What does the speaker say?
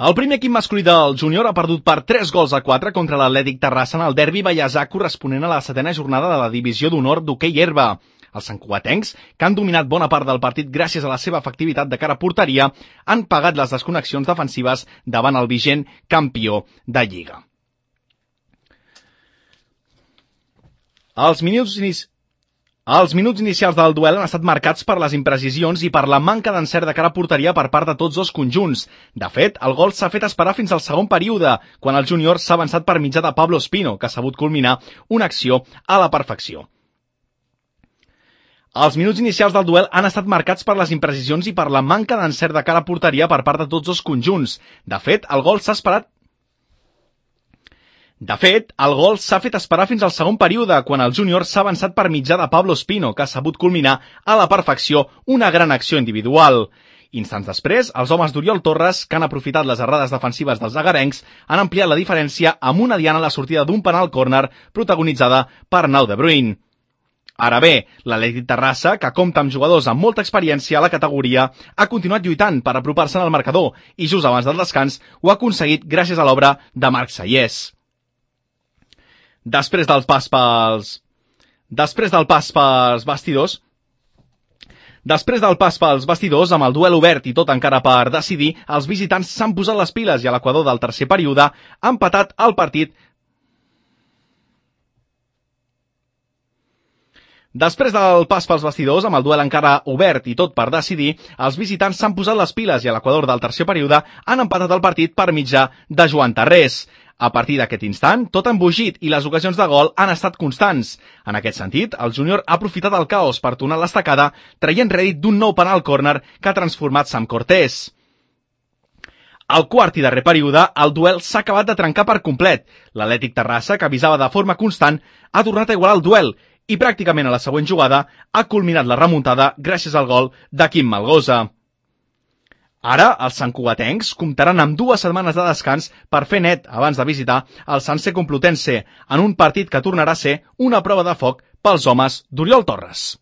El primer equip masculí del júnior ha perdut per 3-4 contra l'Atlètic Terrassa en el derbi baiasà corresponent a la 7ª jornada de la divisió d'honor d'hoquei herba. Els santcugatencs, que han dominat bona part del partit gràcies a la seva efectivitat de cara a porteria, han pagat les desconnexions defensives davant el vigent campió de Lliga. Els minuts inicials del duel han estat marcats per les imprecisions i per la manca d'encert de cara a porteria per part de tots dos conjunts. De fet, el gol s'ha fet esperar fins al segon període, quan el júnior s'ha avançat per mitjà de Pablo Espino, que ha sabut culminar una acció a la perfecció. Els minuts inicials del duel han estat marcats per les imprecisions i per la manca d'encert de cara a porteria per part de tots dos conjunts. De fet, el gol s'ha fet esperar fins al segon període, quan el júnior s'ha avançat per mitjà de Pablo Espino, que ha sabut culminar a la perfecció una gran acció individual. Instants després, els homes d'Oriol Torres, que han aprofitat les errades defensives dels agarencs, han ampliat la diferència amb una diana a la sortida d'un penal córner protagonitzada per Nau de Bruyne. Ara bé, l'Atlètic Terrassa, que compta amb jugadors amb molta experiència a la categoria, ha continuat lluitant per apropar-se al marcador i just abans del descans ho ha aconseguit gràcies a l'obra de Marc Sayés. Després del pas pels vestidors, amb el duel obert i tot encara per decidir, els visitants s'han posat les piles i a l'equador del tercer període han empatat el partit. Després del pas pels vestidors, amb el duel encara obert i tot per decidir, els visitants s'han posat les piles i a l'equador del tercer període han empatat el partit per mitjà de Joan Tarrés. A partir d'aquest instant, tot ha embogit i les ocasions de gol han estat constants. En aquest sentit, el júnior ha aprofitat el caos per tornar l'estacada, traient rèdit d'un nou penal córner que ha transformat Sam Cortés. Al quart i darrer període, el duel s'ha acabat de trencar per complet. L'Atlètic Terrassa, que avisava de forma constant, ha tornat a igualar el duel i pràcticament a la següent jugada ha culminat la remuntada gràcies al gol de Quim Malgosa. Ara, els santcugatencs comptaran amb 2 setmanes de descans per fer net abans de visitar el Sanse Complutense, en un partit que tornarà a ser una prova de foc pels homes d'Oriol Torres.